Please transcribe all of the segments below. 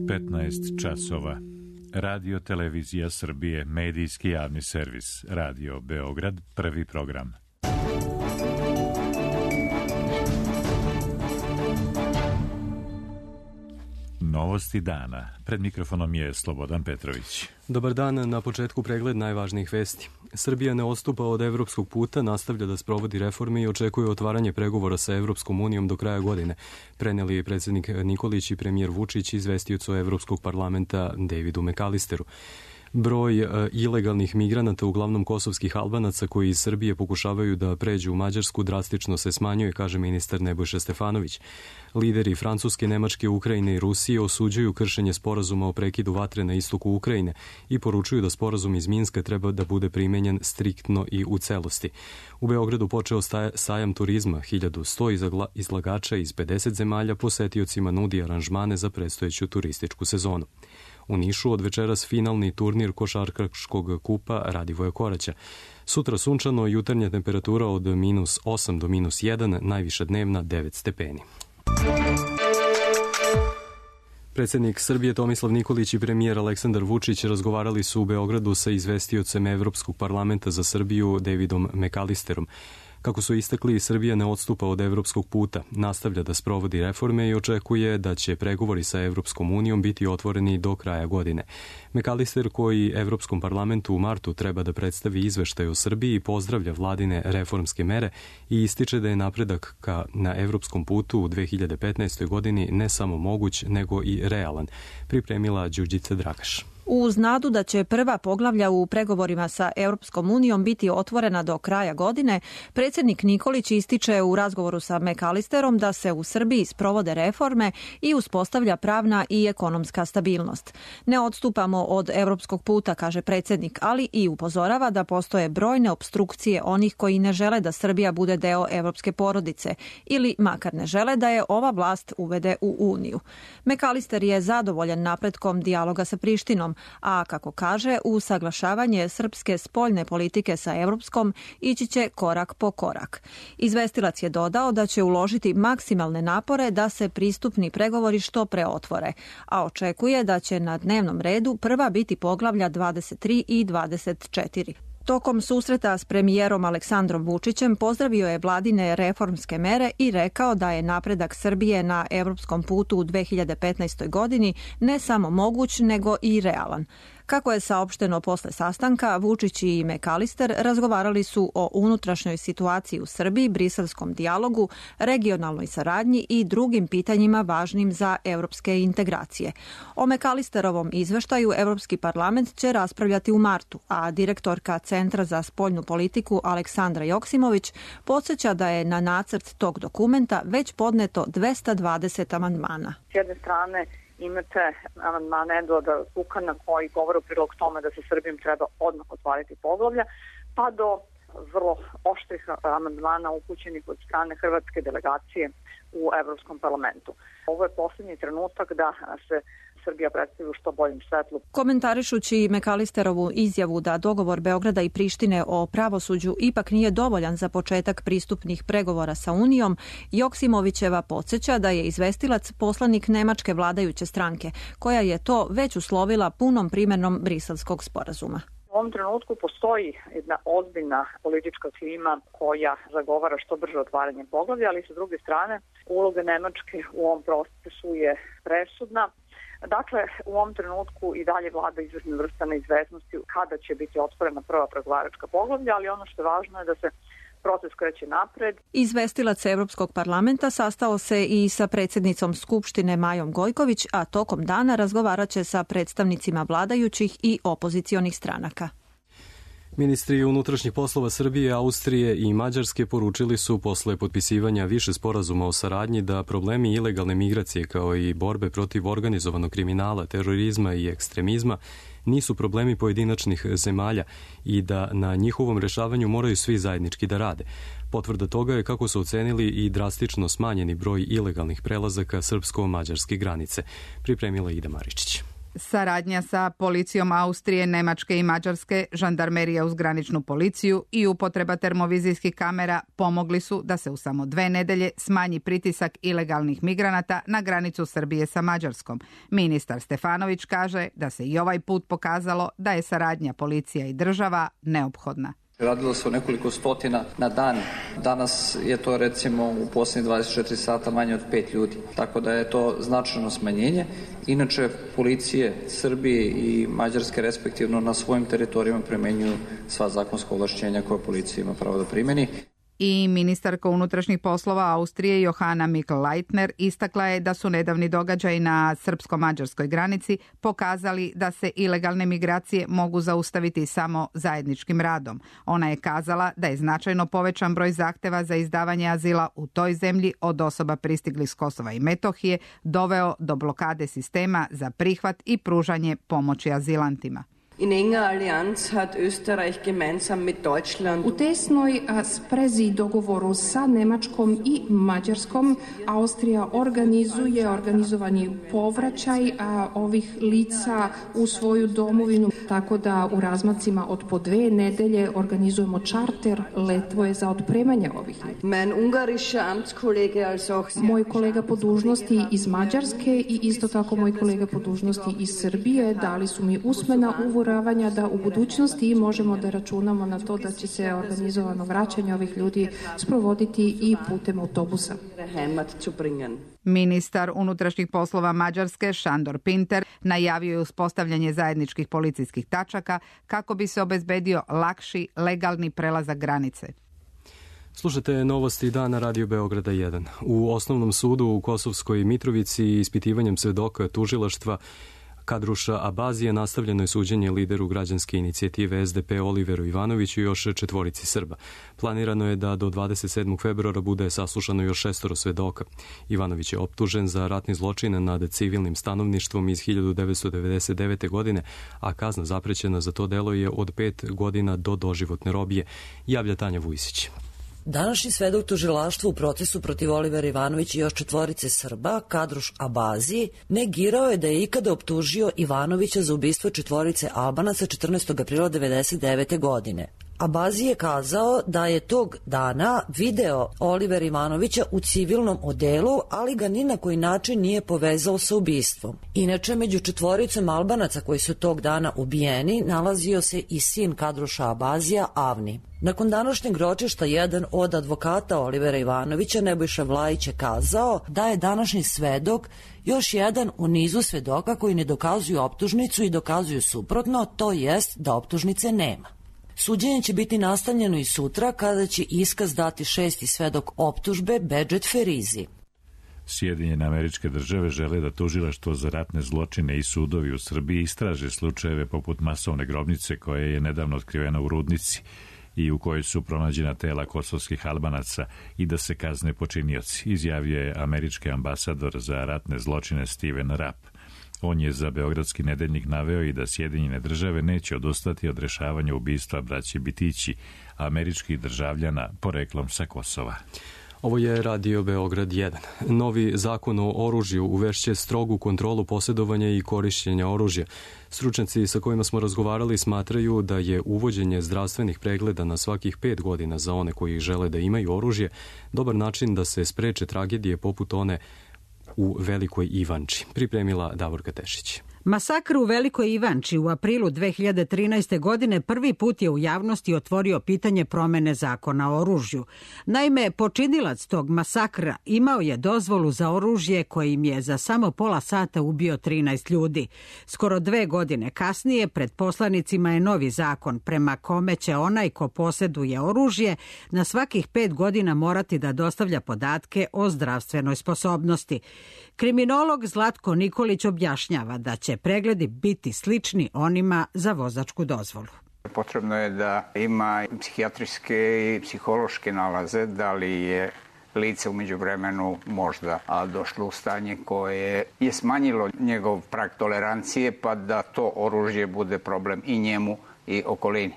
15 časova. Radio Televizija Srbije, medijski javni servis. Radio Beograd, prvi program. Novosti dana. Pred mikrofonom je Slobodan Petrović. Dobar dan, na početku pregled najvažnijih vesti. Srbija ne odstupa od evropskog puta, nastavlja da sprovodi reforme i očekuje otvaranje pregovora sa Evropskom unijom do kraja godine. Preneli je predsjednik Nikolić i premijer Vučić izvestiocu Evropskog parlamenta Davidu McAllisteru. Broj ilegalnih migranata, uglavnom kosovskih Albanaca koji iz Srbije pokušavaju da pređu u Mađarsku, drastično se smanjuje, kaže ministar Nebojša Stefanović. Lideri Francuske, Nemačke, Ukrajine i Rusije osuđuju kršenje sporazuma o prekidu vatre na istoku Ukrajine i poručuju da sporazum iz Minska treba da bude primenjen striktno i u celosti. U Beogradu počeo sajam turizma, 1100 izlagača iz 50 zemalja posetiocima nudi aranžmane za predstojeću turističku sezonu. U Nišu od večeras finalni turnir košarkaškog kupa Radivoja Koraća. Sutra sunčano, jutarnja temperatura od -8 do -1, najviša dnevna 9 stepeni. Predsjednik Srbije Tomislav Nikolić i premijer Aleksandar Vučić razgovarali su u Beogradu sa izvestiocem Evropskog parlamenta za Srbiju Davidom McAllisterom. Kako su istakli, Srbija ne odstupa od evropskog puta, nastavlja da sprovodi reforme i očekuje da će pregovori sa Evropskom unijom biti otvoreni do kraja godine. McAllister, koji Evropskom parlamentu u martu treba da predstavi izveštaj o Srbiji, pozdravlja vladine reformske mere i ističe da je napredak na evropskom putu u 2015. godini ne samo moguć, nego i realan, pripremila Đurđica Dragaš. Uz nadu da će prva poglavlja u pregovorima sa Europskom unijom biti otvorena do kraja godine, predsjednik Nikolić ističe u razgovoru sa McAllisterom da se u Srbiji sprovode reforme i uspostavlja pravna i ekonomska stabilnost. Ne odstupamo od europskog puta, kaže predsjednik, ali i upozorava da postoje brojne opstrukcije onih koji ne žele da Srbija bude deo evropske porodice ili makar ne žele da je ova vlast uvede u Uniju. McAllister je zadovoljan napretkom dijaloga sa Prištinom, a kako kaže, usaglašavanje srpske spoljne politike sa evropskom ići će korak po korak. Izvestilac je dodao da će uložiti maksimalne napore da se pristupni pregovori što pre otvore, a očekuje da će na dnevnom redu prva biti poglavlja 23 i 24. Tokom susreta s premijerom Aleksandrom Vučićem pozdravio je vladine reformske mere i rekao da je napredak Srbije na evropskom putu u 2015. godini ne samo moguć, nego i realan. Kako je saopšteno posle sastanka, Vučić i McAllister razgovarali su o unutrašnjoj situaciji u Srbiji, briselskom dijalogu, regionalnoj saradnji i drugim pitanjima važnim za evropske integracije. O McAllisterovom izveštaju Evropski parlament će raspravljati u martu, a direktorka Centra za spoljnu politiku Aleksandra Joksimović podsjeća da je na nacrt tog dokumenta već podneto 220 amandmana. S jedne strane imate amandmane Eduarda Kukana koji govore u prilog tome da se Srbijom treba odmah otvoriti poglavlja, pa do vrlo oštrih amandmana upućenih od strane hrvatske delegacije u Evropskom parlamentu. Ovo je posljednji trenutak da se Srbija predstavi u što boljem svetlu. Komentarišući McAllisterovu izjavu da dogovor Beograda i Prištine o pravosuđu ipak nije dovoljan za početak pristupnih pregovora sa Unijom, Joksimovićeva podsjeća da je izvestilac poslanik nemačke vladajuće stranke, koja je to već uslovila punom primjenom briselskog sporazuma. U ovom trenutku postoji jedna ozbiljna politička klima koja zagovara što brže otvaranje poglavlja, ali sa druge strane uloga Nemačke u ovom procesu je presudna. Dakle, u ovom trenutku i dalje vlada izvršna vrsta neizvesnosti kada će biti otvorena prva pregovaračka poglavlja, ali ono što je važno je da se proces kreće napred. Izvestilac Evropskog parlamenta sastao se i sa predsjednicom Skupštine Majom Gojković, a tokom dana razgovarat će sa predstavnicima vladajućih i opozicionih stranaka. Ministri unutrašnjih poslova Srbije, Austrije i Mađarske poručili su posle potpisivanja više sporazuma o saradnji da problemi ilegalne migracije kao i borbe protiv organizovanog kriminala, terorizma i ekstremizma nisu problemi pojedinačnih zemalja i da na njihovom rešavanju moraju svi zajednički da rade. Potvrda toga je kako su ocenili i drastično smanjeni broj ilegalnih prelazaka srpsko-mađarske granice, pripremila Ida Maričić. Saradnja sa policijom Austrije, Nemačke i Mađarske, žandarmerija uz graničnu policiju i upotreba termovizijskih kamera pomogli su da se u samo 2 nedelje smanji pritisak ilegalnih migranata na granicu Srbije sa Mađarskom. Ministar Stefanović kaže da se i ovaj put pokazalo da je saradnja policija i država neophodna. Radilo se o nekoliko stotina na dan. Danas je to recimo u posljednjih 24 sata manje od 5 ljudi. Tako da je to značajno smanjenje. Inače, policije Srbije i Mađarske respektivno na svojim teritorijama primenjuju sva zakonska ovlašćenja koje policija ima pravo da primeni. I ministarka unutrašnjih poslova Austrije Johanna Mikl-Leitner istakla je da su nedavni događaji na srpsko-mađarskoj granici pokazali da se ilegalne migracije mogu zaustaviti samo zajedničkim radom. Ona je kazala da je značajno povećan broj zahteva za izdavanje azila u toj zemlji od osoba pristiglih s Kosova i Metohije doveo do blokade sistema za prihvat i pružanje pomoći azilantima. U tesnoj sprezi i dogovoru sa Nemačkom i Mađarskom Austrija organizovani povraćaj ovih lica u svoju domovinu, tako da u razmacima od po 2 nedelje organizujemo čarter letvoje za otpremanje ovih lica. Moj kolega po dužnosti iz Mađarske i isto tako moj kolega po dužnosti iz Srbije dali su mi usmena uveravanja da u budućnosti možemo da računamo na to da će se organizovano vraćanje ovih ljudi sprovoditi i putem autobusa. Ministar unutrašnjih poslova Mađarske Šandor Pinter najavio je uspostavljanje zajedničkih policijskih tačaka kako bi se obezbedio lakši, legalni prelazak granice. Slušate novosti dana Radio Beograda 1. U Osnovnom sudu u Kosovskoj Mitrovici ispitivanjem svedoka tužilaštva Kadruša Abazije nastavljeno je suđenje lideru građanske inicijative SDP Oliveru Ivanoviću i još 4 Srba. Planirano je da do 27. februara bude saslušano još 6 svedoka. Ivanović je optužen za ratni zločin nad civilnim stanovništvom iz 1999. godine, a kazna zaprećena za to delo je od 5 godina do doživotne robije, javlja Tanja Vujsić. Današnji svedok tužilaštva u procesu protiv Olivera Ivanovića i još 4 Srba, Kadruš Abazi, negirao je da je ikada optužio Ivanovića za ubistvo 4 Albanaca 14. aprila 1999. godine. Abazi je kazao da je tog dana video Olivera Ivanovića u civilnom odelu, ali ga ni na koji način nije povezao sa ubistvom. Inače, među 4 Albanaca koji su tog dana ubijeni nalazio se i sin Kadruša Abazija, Avni. Nakon današnjeg ročišta jedan od advokata Olivera Ivanovića, Nebojša Vlajić, je kazao da je današnji svedok još jedan u nizu svedoka koji ne dokazuju optužnicu i dokazuju suprotno, to jest da optužnice nema. Suđenje će biti nastavljeno i sutra kada će iskaz dati 6. svedok optužbe Bedžet Ferizi. Sjedinjene Američke Države žele da tužilaštvo za ratne zločine i sudovi u Srbiji istraže slučajeve poput masovne grobnice koja je nedavno otkrivena u Rudnici i u kojoj su pronađena tela kosovskih Albanaca i da se kazne počinioci, izjavio je američki ambasador za ratne zločine Steven Rapp. On je za Beogradski nedeljnik naveo i da Sjedinjene Države neće odustati od rešavanja ubistva braće Bitići, američkih državljana poreklom sa Kosova. Ovo je Radio Beograd 1. Novi zakon o oružju uvešće strogu kontrolu posjedovanja i korišćenja oružja. Stručnjaci sa kojima smo razgovarali smatraju da je uvođenje zdravstvenih pregleda na svakih 5 godina za one koji žele da imaju oružje dobar način da se spreče tragedije poput one u Velikoj Ivanči, pripremila Davorka Tešić. Masakr u Velikoj Ivanči u aprilu 2013. godine prvi put je u javnosti otvorio pitanje promene zakona o oružju. Naime, počinilac tog masakra imao je dozvolu za oružje kojim je za samo pola sata ubio 13 ljudi. Skoro 2 godine kasnije pred poslanicima je novi zakon prema kome će onaj ko posjeduje oružje na svakih 5 godina morati da dostavlja podatke o zdravstvenoj sposobnosti. Kriminolog Zlatko Nikolić objašnjava da će pregledi biti slični onima za vozačku dozvolu. Potrebno je da ima psihijatrijske i psihološke nalaze, da li je lice u međuvremenu možda došlo u stanje koje je smanjilo njegov prag tolerancije, pa da to oružje bude problem i njemu i okolini.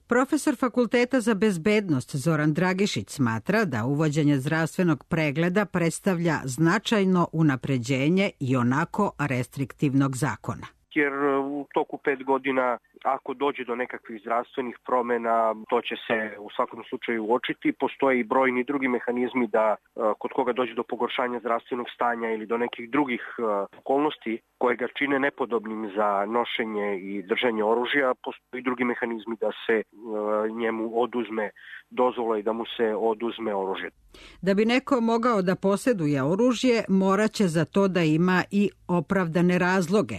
Profesor Fakulteta za bezbednost Zoran Dragišić smatra da uvođenje zdravstvenog pregleda predstavlja značajno unapređenje i onako restriktivnog zakona. jer u toku 5 godina ako dođe do nekakvih zdravstvenih promjena, to će se u svakom slučaju uočiti. Postoje i brojni drugi mehanizmi da kod koga dođe do pogoršanja zdravstvenog stanja ili do nekih drugih okolnosti koje ga čine nepodobnim za nošenje i držanje oružja, postoje i drugi mehanizmi da se njemu oduzme dozvola i da mu se oduzme oružje. Da bi neko mogao da posjeduje oružje, moraće za to da ima i opravdane razloge,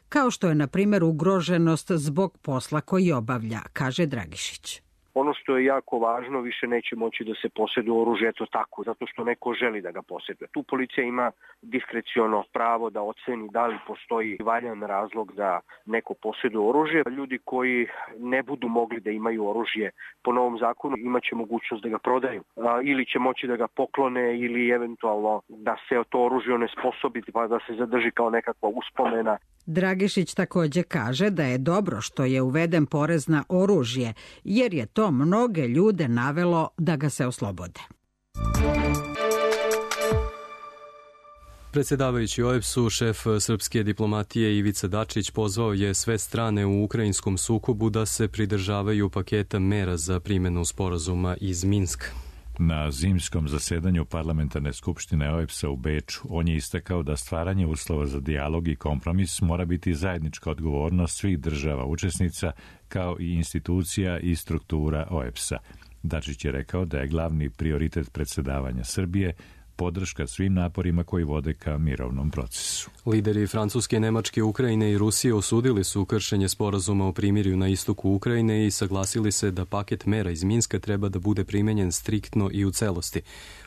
kao što je, na primjer, ugroženost zbog posla koji obavlja, kaže Dragišić. Ono što je jako važno, više neće moći da se posjeduje oružje eto tako, zato što neko želi da ga posjeduje. Tu policija ima diskreciono pravo da oceni da li postoji valjan razlog da neko posjeduje oružje. Ljudi koji ne budu mogli da imaju oružje po novom zakonu imaće mogućnost da ga prodaju ili će moći da ga poklone ili eventualno da se to oružje onesposobi pa da se zadrži kao nekakva uspomena. Dragišić također kaže da je dobro što je uveden porez na oružje, jer je to mnoge ljude navelo da ga se oslobode. Predsjedavajući OEBS-u, šef srpske diplomatije Ivica Dačić pozvao je sve strane u ukrajinskom sukobu da se pridržavaju paketa mera za primjenu sporazuma iz Minska. Na zimskom zasedanju parlamentarne skupštine OEBS-a u Beču on je istakao da stvaranje uslova za dijalog i kompromis mora biti zajednička odgovornost svih država učesnica kao i institucija i struktura OEBS-a. Dačić je rekao da je glavni prioritet predsjedavanja Srbije podrška svim naporima koji vode ka mirovnom procesu. Lideri Francuske, Nemačke, Ukrajine i Rusije osudili su kršenje sporazuma o primirju na istoku Ukrajine i saglasili se da paket mera iz Minska treba da bude primenjen striktno i u celosti.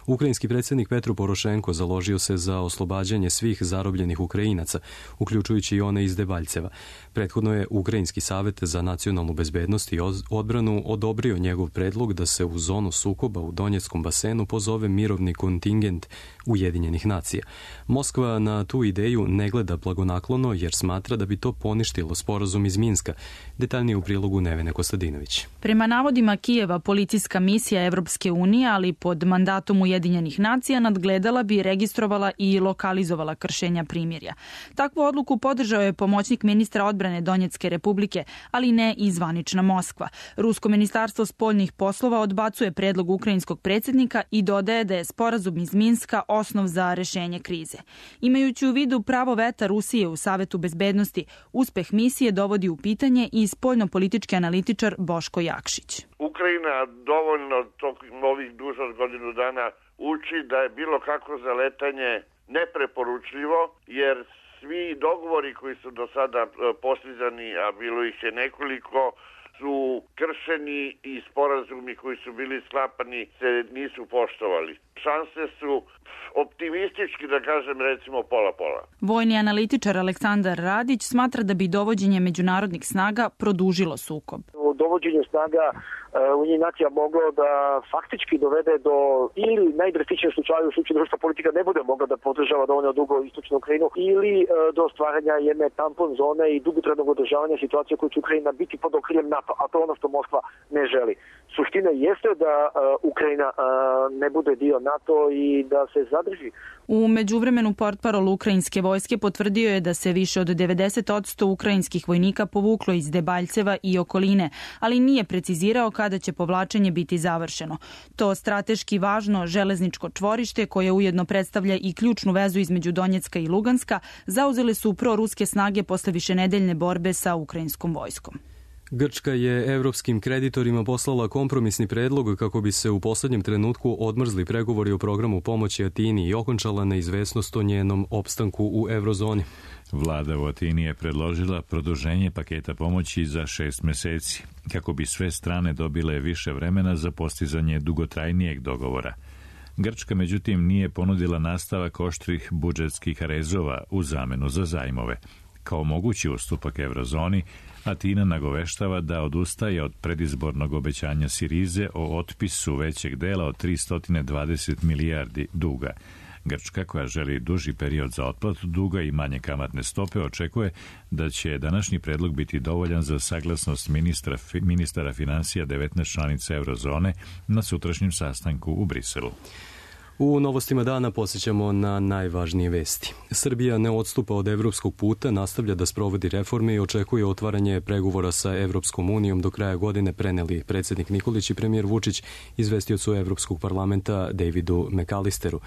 Ukrajinski predsjednik Petro Porošenko založio se za oslobađanje svih zarobljenih Ukrajinaca, uključujući i one iz Debaljceva. Prethodno je Ukrajinski savet za nacionalnu bezbednost i odbranu odobrio njegov predlog da se u zonu sukoba u Donjeckom basenu pozove mirovni kontingent Ujedinjenih nacija. Moskva na tu ideju ne gleda blagonaklono jer smatra da bi to poništilo sporazum iz Minska. Detaljnije u prilogu Nevene Kostadinović. Prema navodima Kijeva, policijska misija Evropske unije, ali pod mandatom Ujedinjenih nacija, nadgledala bi, registrovala i lokalizovala kršenja primirja. Takvu odluku podržao je pomoćnik ministra odbrane Donjecke republike, ali ne i zvanična Moskva. Rusko ministarstvo spoljnih poslova odbacuje predlog ukrajinskog predsjednika i dodaje da je sporazum iz Minska osnov za rešenje krize. Imajući u vidu pravo veta Rusije u Savetu bezbednosti, uspeh misije dovodi u pitanje i spoljnopolitički analitičar Boško Jakšić. Ukrajina dovoljno ovih duže od godinu dana uči da je bilo kako zaletanje nepreporučljivo, jer svi dogovori koji su do sada postizani, a bilo ih je nekoliko, su kršeni i sporazumi koji su bili sklapani se nisu poštovali. Šanse su optimistički, da kažem, recimo pola-pola. Vojni analitičar Aleksandar Radić smatra da bi dovođenje međunarodnih snaga produžilo sukob. Dovođenje snaga Ujedinjenih nacija moglo da faktički dovede do, ili najdrastičnijem slučaju, u slučaju da ruska politika ne bude mogla da podržava dovoljno dugo istočnu Ukrajinu, ili do stvaranja jedne tampon zone i dugotrajnog održavanja situacije koju će Ukrajina biti pod okriljem NATO, a to je ono što Moskva ne želi. Suština jeste da Ukrajina ne bude dio NATO i da se zadrži. U međuvremenu portparol ukrajinske vojske potvrdio je da se više od 90% ukrajinskih vojnika povuklo iz Debaljceva i okoline, ali nije precizirao kada će povlačenje biti završeno. To strateški važno železničko čvorište, koje ujedno predstavlja i ključnu vezu između Donjecka i Luganska, zauzele su proruske snage posle višenedeljne borbe sa ukrajinskom vojskom. Grčka je evropskim kreditorima poslala kompromisni predlog kako bi se u poslednjem trenutku odmrzli pregovori o programu pomoći Atini i okončala neizvesnost o njenom opstanku u eurozoni. Vlada u Atini je predložila produženje paketa pomoći za 6 meseci, kako bi sve strane dobile više vremena za postizanje dugotrajnijeg dogovora. Grčka, međutim, nije ponudila nastavak oštrih budžetskih rezova u zamenu za zajmove. Kao mogući ustupak eurozoni, Atina nagoveštava da odustaje od predizbornog obećanja Sirize o otpisu većeg dela od 320 milijardi duga. Grčka, koja želi duži period za otplatu duga i manje kamatne stope, očekuje da će današnji predlog biti dovoljan za saglasnost ministara finansija 19 članica eurozone na sutrašnjem sastanku u Briselu. U novostima dana posjećamo na najvažnije vesti. Srbija ne odstupa od evropskog puta, nastavlja da sprovodi reforme i očekuje otvaranje pregovora sa Evropskom unijom do kraja godine, preneli predsjednik Nikolić i premijer Vučić izvestiocu Evropskog parlamenta Davidu McAllisteru.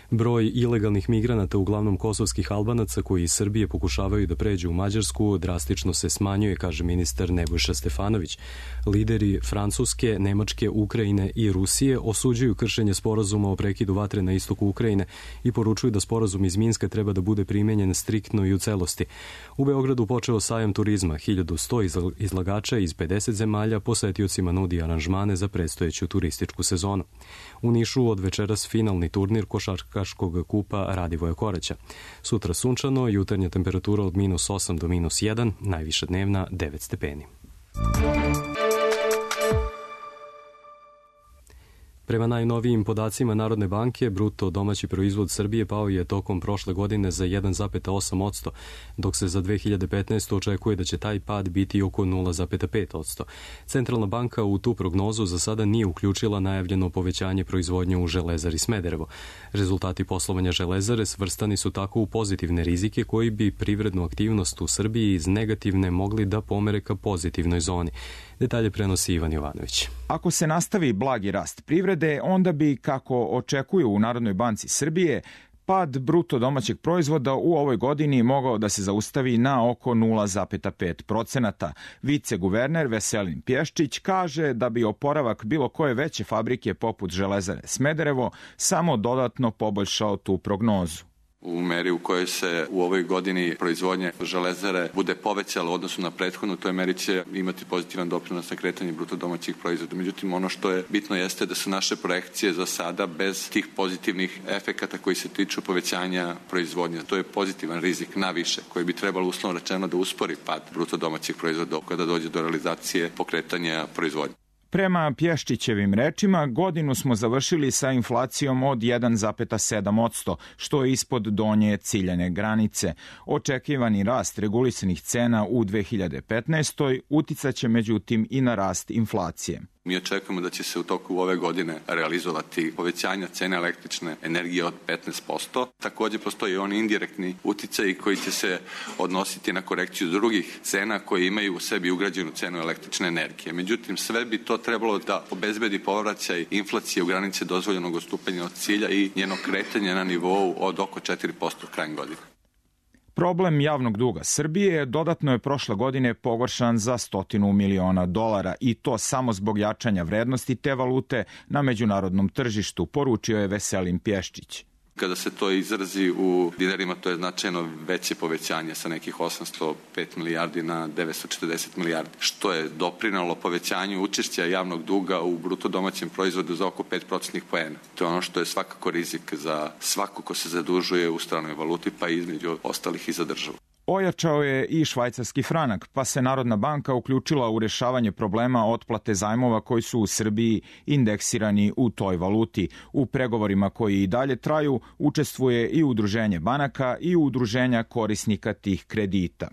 Broj ilegalnih migranata, uglavnom kosovskih Albanaca koji iz Srbije pokušavaju da pređu u Mađarsku, drastično se smanjuje, kaže ministar Nebojša Stefanović. Lideri Francuske, Nemačke, Ukrajine i Rusije osuđuju kršenje sporazuma o prekidu vatre na istoku Ukrajine i poručuju da sporazum iz Minska treba da bude primenjen striktno i u celosti. U Beogradu počeo sajam turizma, 1100 izlagača iz 50 zemalja posetiocima nudi aranžmane za predstojeću turističku sezonu. U Nišu od večeras finalni turnir košarkaškog kupa Radivoja Koraća. Sutra sunčano, jutarnja temperatura od -8 do -1, najviša dnevna 9 stepeni. Prema najnovijim podacima Narodne banke, bruto domaći proizvod Srbije pao je tokom prošle godine za 1,8%, dok se za 2015. očekuje da će taj pad biti oko 0,5%. Centralna banka u tu prognozu za sada nije uključila najavljeno povećanje proizvodnje u Železari Smederevo. Rezultati poslovanja Železare svrstani su tako u pozitivne rizike koji bi privrednu aktivnost u Srbiji iz negativne mogli da pomere ka pozitivnoj zoni. Detalje prenosi Ivan Jovanović. Ako se nastavi blagi rast privrede, onda bi, kako očekuju u Narodnoj banci Srbije, pad bruto domaćeg proizvoda u ovoj godini mogao da se zaustavi na oko 0,5%. Viceguverner Veselin Pješčić kaže da bi oporavak bilo koje veće fabrike poput Železare Smederevo samo dodatno poboljšao tu prognozu. U meri u kojoj se u ovoj godini proizvodnje Železare bude povećala u odnosu na prethodnu, toj meri će imati pozitivan doprinos na kretanje bruto domaćih proizvoda. Međutim, ono što je bitno jeste da su naše projekcije za sada bez tih pozitivnih efekata koji se tiču povećanja proizvodnje. To je pozitivan rizik naviše koji bi trebalo uslovno rečeno da uspori pad bruto domaćih proizvoda kada dođe do realizacije pokretanja proizvodnje. Prema Pješčićevim rečima, godinu smo završili sa inflacijom od 1,7%, što je ispod donje ciljane granice. Očekivani rast regulisanih cena u 2015. uticaće međutim i na rast inflacije. Mi očekujemo da će se u toku ove godine realizovati povećanja cene električne energije od 15%. Također postoji oni indirektni uticaji koji će se odnositi na korekciju drugih cena koje imaju u sebi ugrađenu cenu električne energije. Međutim, sve bi to trebalo da obezbedi povraćaj inflacije u granice dozvoljenog odstupanja od cilja i njeno kretanje na nivou od oko 4% krajem godine. Problem javnog duga Srbije dodatno je prošle godine pogoršan za $100 miliona i to samo zbog jačanja vrednosti te valute na međunarodnom tržištu, poručio je Veselin Pješčić. Kada se to izrazi u dinarima, to je značajno veće povećanje sa nekih 805 milijardi na 940 milijardi, što je doprinalo povećanju učešća javnog duga u bruto domaćem proizvodu za oko 5% poena. To je ono što je svakako rizik za svako ko se zadužuje u stranoj valuti, pa između ostalih i za državu. Ojačao je i švajcarski franak, pa se Narodna banka uključila u rješavanje problema otplate zajmova koji su u Srbiji indeksirani u toj valuti. U pregovorima koji i dalje traju učestvuje i udruženje banaka i udruženja korisnika tih kredita.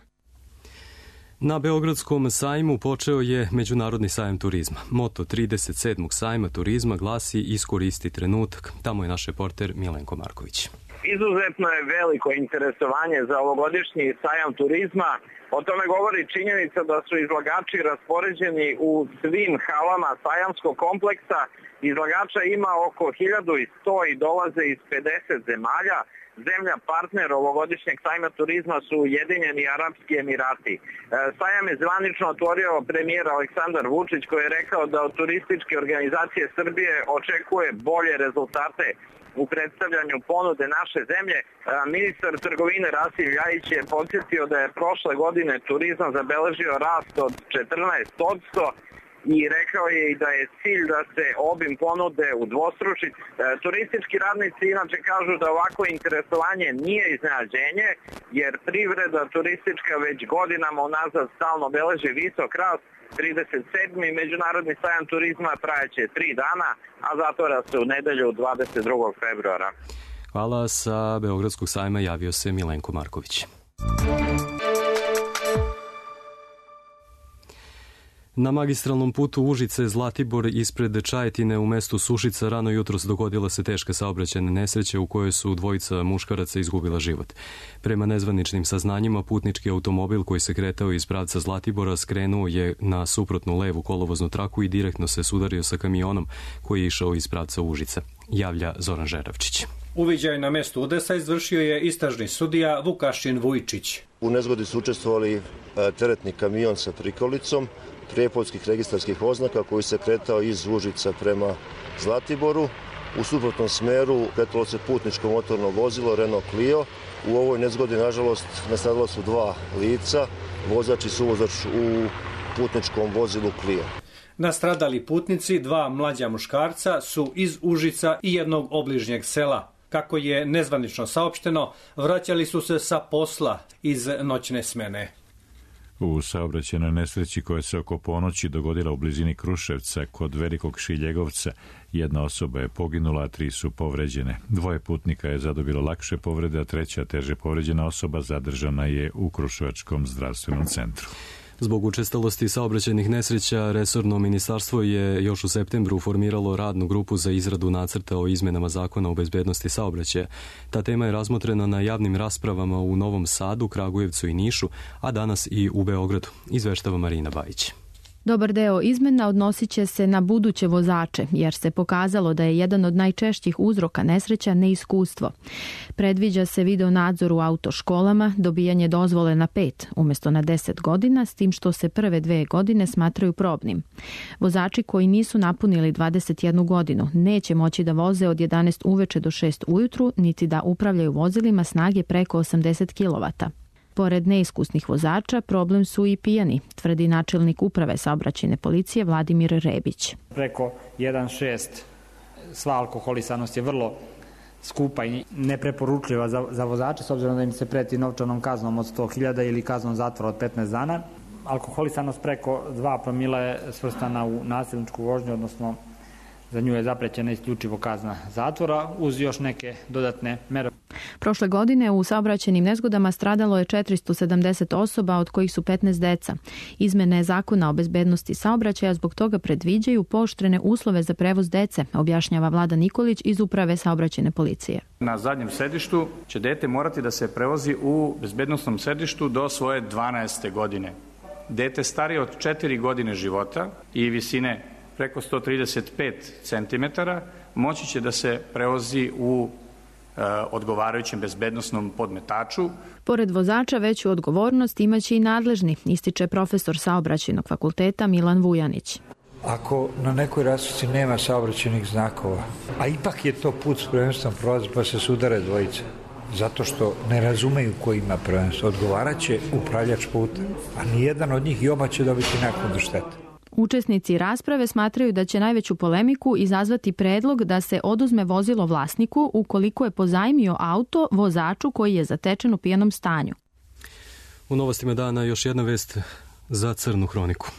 Na Beogradskom sajmu počeo je Međunarodni sajam turizma. Moto 37. sajma turizma glasi "Iskoristi trenutak". Tamo je naš reporter Milenko Marković. Izuzetno je veliko interesovanje za ovogodišnji sajam turizma. O tome govori činjenica da su izlagači raspoređeni u svim halama sajamskog kompleksa. Izlagača ima oko 1100 i dolaze iz 50 zemalja. Zemlja partner ovogodišnjeg sajma turizma su Ujedinjeni Arapski Emirati. Sajam je zvanično otvorio premijer Aleksandar Vučić koji je rekao da od turističke organizacije Srbije očekuje bolje rezultate u predstavljanju ponude naše zemlje. Ministar trgovine Rasim Ljajić je podsjetio da je prošle godine turizam zabeležio rast od 14% i rekao je i da je cilj da se obim ponude udvostruči. Turistički radnici inače kažu da ovako interesovanje nije iznenađenje, jer privreda turistička već godinama unazad stalno beleži visok rast. 37. Međunarodni sajam turizma trajeće 3 dana, a zatvara se u nedelju 22. februara. Hvala, sa Beogradskog sajma javio se Milenko Na magistralnom putu Užice-Zlatibor ispred Čajetine u mestu Sušica rano jutros dogodila se teška saobraćajna nesreća u kojoj su dvojica muškaraca izgubila život. Prema nezvaničnim saznanjima, putnički automobil koji se kretao iz pravca Zlatibora skrenuo je na suprotnu levu kolovoznu traku i direktno se sudario sa kamionom koji je išao iz pravca Užica, javlja Zoran Žeravčić. Uviđaj na mestu udesa izvršio je istražni sudija Vukašin Vujčić. U nezgodi su učestvovali teretni kamion sa prikolicom, prijepoljskih registarskih oznaka koji se kretao iz Užica prema Zlatiboru. U suprotnom smeru kretalo se putničko motorno vozilo Renault Clio. U ovoj nezgodi, nažalost, nastradala su 2 lica, vozač i suvozač u putničkom vozilu Clio. Nastradali putnici, 2 mlađa muškarca, su iz Užica i jednog obližnjeg sela. Kako je nezvanično saopšteno, vraćali su se sa posla iz noćne smene. U saobraćajnoj nesreći koja se oko ponoći dogodila u blizini Kruševca kod Velikog Šiljegovca, 1 osoba je poginula, a 3 su povređene. 2 putnika je zadobilo lakše povrede, a 3 teže povređena osoba zadržana je u Kruševačkom zdravstvenom centru. Zbog učestalosti saobraćajnih nesreća, resorno ministarstvo je još u septembru formiralo radnu grupu za izradu nacrta o izmenama zakona o bezbednosti saobraćaja. Ta tema je razmotrena na javnim raspravama u Novom Sadu, Kragujevcu i Nišu, a danas i u Beogradu, izveštava Marina Bajić. Dobar deo izmena odnosit će se na buduće vozače, jer se pokazalo da je jedan od najčešćih uzroka nesreća neiskustvo. Predviđa se video nadzor u autoškolama, dobijanje dozvole na 5 umjesto na 10 godina, s tim što se prve 2 godine smatraju probnim. Vozači koji nisu napunili 21 godinu neće moći da voze od 11 uveče do 6 ujutru, niti da upravljaju vozilima snage preko 80 kW. Pored neiskusnih vozača, problem su i pijani, tvrdi načelnik uprave saobraćajne policije Vladimir Rebić. Preko 1,6 sva alkoholisanost je vrlo skupa i nepreporučljiva za vozače, s obzirom da im se preti novčanom kaznom od 100.000 ili kaznom zatvora od 15 dana. Alkoholisanost preko 2 promila je svrstana u nasilničku vožnju, odnosno za nju je zaprećena isključivo kazna zatvora uz još neke dodatne mere. Prošle godine u saobraćajnim nezgodama stradalo je 470 osoba, od kojih su 15 deca. Izmene zakona o bezbednosti saobraćaja zbog toga predviđaju pooštrene uslove za prevoz dece, objašnjava Vlada Nikolić iz uprave saobraćajne policije. Na zadnjem sedištu će dete morati da se prevozi u bezbednosnom sedištu do svoje 12. godine. Dete starije od 4 godine života i visine preko 135 cm moći će da se prevozi u odgovarajućem bezbednosnom podmetaču. Pored vozača veću odgovornost imaće i nadležni, ističe profesor saobraćajnog fakulteta Milan Vujanić. Ako na nekoj rasveci nema saobraćajnih znakova, a ipak je to put s prvenstvom prolazi pa se sudare dvojice, zato što ne razumeju ko ima prvenstvo, odgovaraće upravljač puta, a nijedan od njih i oba će dobiti naknadu štete. Učesnici rasprave smatraju da će najveću polemiku izazvati predlog da se oduzme vozilo vlasniku ukoliko je pozajmio auto vozaču koji je zatečen u pijanom stanju. U novostima dana još jedna vest za crnu hroniku.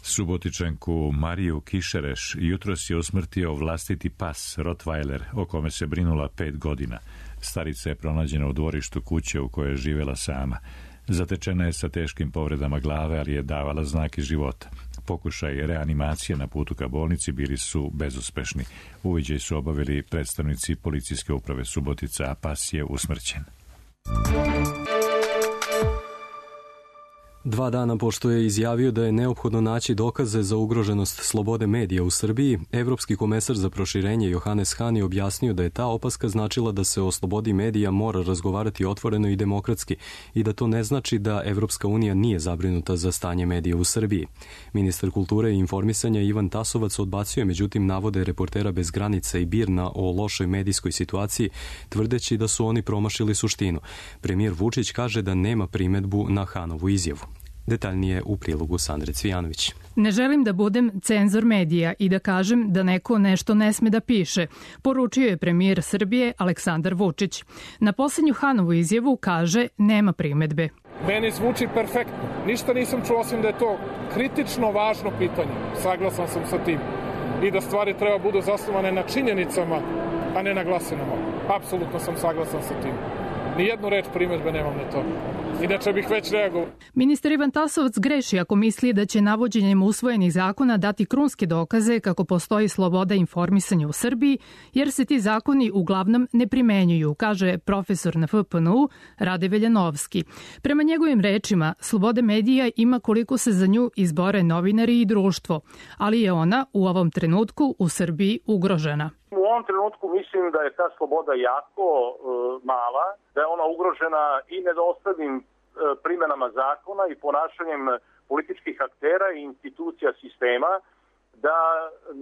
Subotičanku Mariju Kišereš jutros je usmrtio vlastiti pas Rottweiler, o kome se brinula 5 godina. Starica je pronađena u dvorištu kuće u kojoj je živjela sama. Zatečena je sa teškim povredama glave, ali je davala znake života. Pokušaj reanimacije na putu ka bolnici bili su bezuspešni. Uviđaj su obavili predstavnici policijske uprave Subotica, a pas je usmrćen. 2 dana pošto je izjavio da je neophodno naći dokaze za ugroženost slobode medija u Srbiji, Evropski komesar za proširenje Johannes Hahn je objasnio da je ta opaska značila da se o slobodi medija mora razgovarati otvoreno i demokratski i da to ne znači da Evropska unija nije zabrinuta za stanje medija u Srbiji. Ministar kulture i informisanja Ivan Tasovac odbacio je međutim navode reportera bez granica i BIRN-a o lošoj medijskoj situaciji, tvrdeći da su oni promašili suštinu. Premijer Vučić kaže da nema primedbu na Hahnovu izjavu. Detaljnije u prilogu Sandre Cvijanović. Ne želim da budem cenzor medija i da kažem da neko nešto ne sme da piše, poručio je premijer Srbije Aleksandar Vučić. Na posljednju Hahnovu izjavu kaže nema primedbe. Meni zvuči perfektno. Ništa nisam čuo osim da je to kritično važno pitanje. Saglasan sam sa tim. I da stvari treba budu zasnovane na činjenicama, a ne na glasinama. Apsolutno sam saglasan sa tim. Nijednu reč primedbe nemam na to. Inače bih već reagovao. Ministar Ivan Tasovac greši ako misli da će navođenjem usvojenih zakona dati krunske dokaze kako postoji sloboda informisanja u Srbiji, jer se ti zakoni uglavnom ne primenjuju, kaže profesor na FPNU Rade Veljanovski. Prema njegovim rečima, sloboda medija ima koliko se za nju izbore novinari i društvo, ali je ona u ovom trenutku u Srbiji ugrožena. U ovom trenutku mislim da je ta sloboda jako mala, da je ona ugrožena i nedoslednim primenama zakona i ponašanjem političkih aktera i institucija sistema, da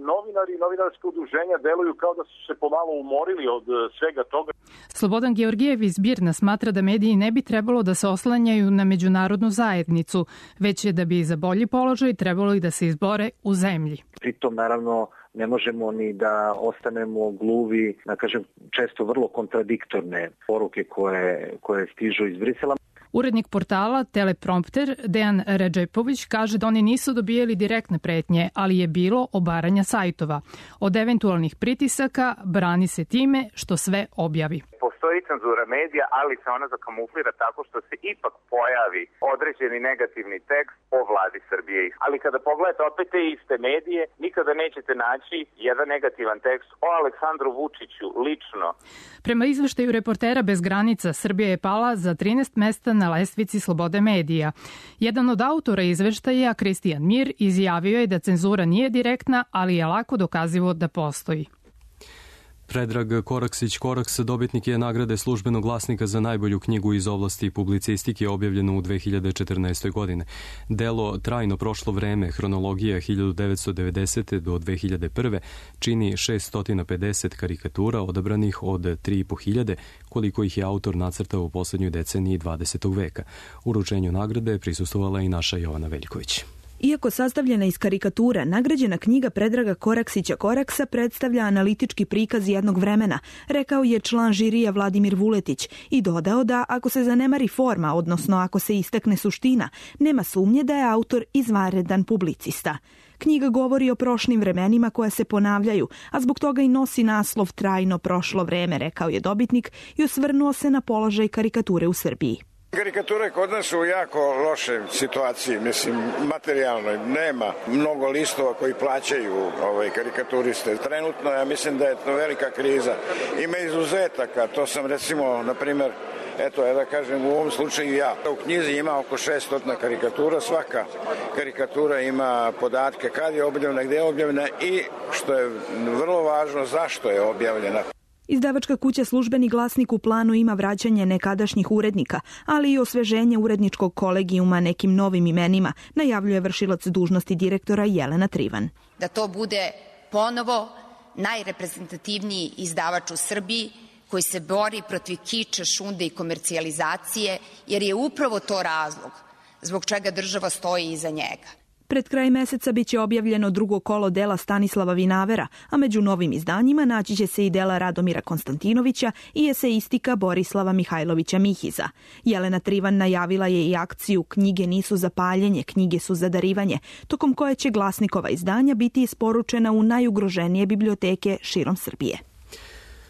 novinari i novinarske udruženja deluju kao da su se pomalo umorili od svega toga. Slobodan Georgijev iz Birna smatra da mediji ne bi trebalo da se oslanjaju na međunarodnu zajednicu, već je da bi za bolji položaj trebalo i da se izbore u zemlji. Pritom, naravno, ne možemo ni da ostanemo gluvi, da kažem, često vrlo kontradiktorne poruke koje stižu iz Brisela. Urednik portala Teleprompter Dejan Redžepović kaže da oni nisu dobijeli direktne pretnje, ali je bilo obaranja sajtova. Od eventualnih pritisaka brani se time što sve objavi. Postoji cenzura medija, ali se ona zakamuflira tako što se ipak pojavi određeni negativni tekst o vladi Srbije. Ali kada pogledate opet te iste medije, nikada nećete naći jedan negativan tekst o Aleksandru Vučiću lično. Prema izveštaju Reportera bez granica, Srbija je pala za 13 mesta na lestvici slobode medija. Jedan od autora izveštaja, Kristijan Mir, izjavio je da cenzura nije direktna, ali je lako dokazivo da postoji. Predrag Koraksić-Koraks dobitnik je nagrade Službenog glasnika za najbolju knjigu iz oblasti publicistike objavljenu u 2014. godine. Delo Trajno prošlo vreme, hronologija 1990. do 2001. čini 650 karikatura odabranih od 3.500, koliko ih je autor nacrtao u poslednjoj deceniji 20. veka. Uručenju nagrade prisustvovala i naša Jovana Veljković. Iako sastavljena iz karikatura, nagrađena knjiga Predraga Koraksića-Koraksa predstavlja analitički prikaz jednog vremena, rekao je član žirija Vladimir Vuletić i dodao da ako se zanemari forma, odnosno ako se istakne suština, nema sumnje da je autor izvanredan publicista. Knjiga govori o prošlim vremenima koja se ponavljaju, a zbog toga i nosi naslov Trajno prošlo vreme, rekao je dobitnik i osvrnuo se na položaj karikature u Srbiji. Karikature kod nas su u jako lošoj situaciji, mislim, materijalnoj. Nema mnogo listova koji plaćaju karikaturiste. Trenutno ja mislim da je to velika kriza. Ima izuzetaka, to sam recimo, na primer, eto, da kažem, u ovom slučaju ja. U knjizi ima oko 600 karikatura, svaka karikatura ima podatke kad je objavljena, gde je objavljena i, što je vrlo važno, zašto je objavljena. Izdavačka kuća Službeni glasnik u planu ima vraćanje nekadašnjih urednika, ali i osveženje uredničkog kolegijuma nekim novim imenima, najavljuje vršilac dužnosti direktora Jelena Trivan. Da to bude ponovo najreprezentativniji izdavač u Srbiji koji se bori protiv kiča, šunde i komercijalizacije, jer je upravo to razlog zbog čega država stoji iza njega. Pred kraj meseca biće objavljeno drugo kolo dela Stanislava Vinavera, a među novim izdanjima naći će se i dela Radomira Konstantinovića i eseistika Borislava Mihajlovića Mihiza. Jelena Trivan najavila je i akciju Knjige nisu za paljenje, knjige su za darivanje, tokom koje će glasnikova izdanja biti isporučena u najugroženije biblioteke širom Srbije.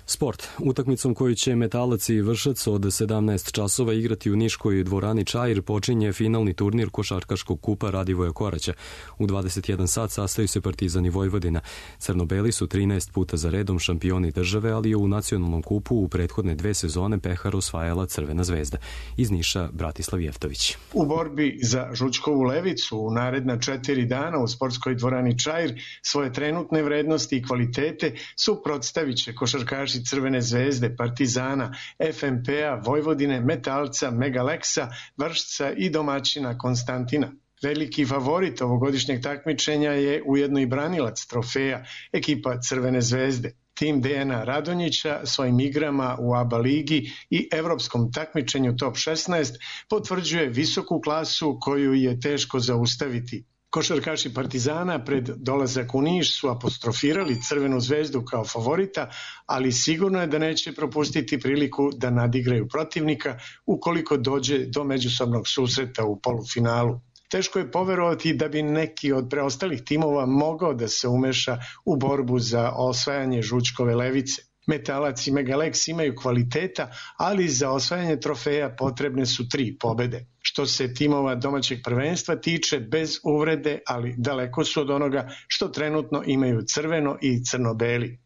Sport. Utakmicom koju će Metalac i Vršac od 17 časova igrati u Niškoj dvorani Čair počinje finalni turnir košarkaškog kupa Radivoja Koraća. U 21 sat sastaju se Partizan i Vojvodina. Crnobeli su 13 puta za redom šampioni države, ali je u nacionalnom kupu u prethodne 2 sezone pehar osvajala Crvena zvezda. Iz Niša Bratislav Jeftović. U borbi za Žučkovu levicu u naredna 4 dana u sportskoj dvorani Čair svoje trenutne vrednosti i kvalitete suprotstavit će košarkaši Crvene zvezde, Partizana, FNP-a, Vojvodine, Metalca, Megaleksa, Vršca i domaćina Konstantina. Veliki favorit ovogodišnjeg takmičenja je ujedno i branilac trofeja, ekipa Crvene zvezde. Tim Dejana Radonjića svojim igrama u ABA ligi i evropskom takmičenju Top 16 potvrđuje visoku klasu koju je teško zaustaviti. Košarkaši Partizana pred dolazak u Niš su apostrofirali Crvenu zvezdu kao favorita, ali sigurno je da neće propustiti priliku da nadigraju protivnika ukoliko dođe do međusobnog susreta u polufinalu. Teško je poverovati da bi neki od preostalih timova mogao da se umeša u borbu za osvajanje Žučkove levice. Metalac i Megalex imaju kvaliteta, ali za osvajanje trofeja potrebne su 3 pobede. Što se timova domaćeg prvenstva tiče, bez uvrede, ali daleko su od onoga što trenutno imaju crveno i crno-beli.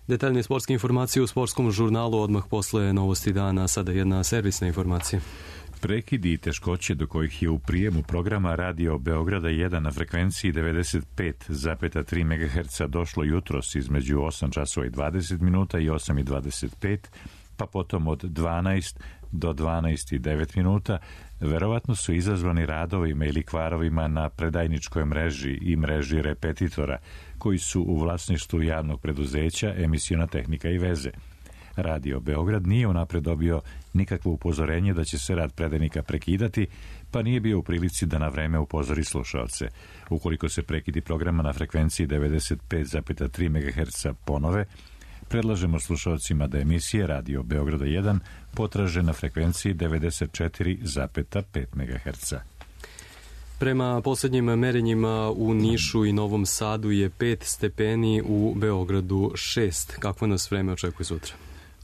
Detaljne sportske informacije u sportskom žurnalu odmah posle novosti dana. Sada jedna servisna informacija. Prekidi i teškoće do kojih je u prijemu programa Radio Beograda 1 na frekvenciji 95,3 MHz došlo jutros između 8 časova i 20 minuta i 8:25, pa potom od 12 do 12:09 minuta, verovatno su izazvani radovima ili kvarovima na predajničkoj mreži i mreži repetitora, koji su u vlasništvu javnog preduzeća Emisiona tehnika i veze. Radio Beograd nije unapred dobio nikakvo upozorenje da će se rad predajnika prekidati, pa nije bio u prilici da na vreme upozori slušaoce. Ukoliko se prekidi programa na frekvenciji 95,3 MHz ponove, predlažemo slušaocima da emisije Radio Beograda 1 potraže na frekvenciji 94,5 MHz. Prema poslednjim merenjima u Nišu i Novom Sadu je 5 stepeni, u Beogradu 6. Kakvo nas vreme očekuje sutra?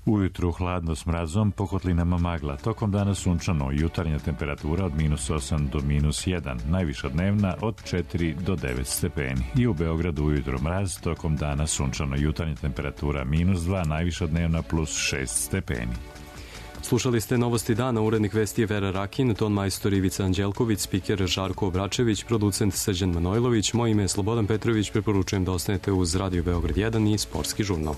Ujutru hladno s mrazom, po kotlinama magla. Tokom dana sunčano, jutarnja temperatura od -8 do -1, najviša dnevna od 4 do 9 stepeni. I u Beogradu ujutru mraz, tokom dana sunčano, jutarnja temperatura -2, najviša dnevna +6 stepeni. Slušali ste novosti dana, urednik vesti je Vera Rakin, ton majstor Ivica Anđelković, spiker Žarko Obračević, producent Srđan Manojlović, moje ime je Slobodan Petrović, preporučujem da ostanete uz Radio Beograd 1 i Sportski žurnal.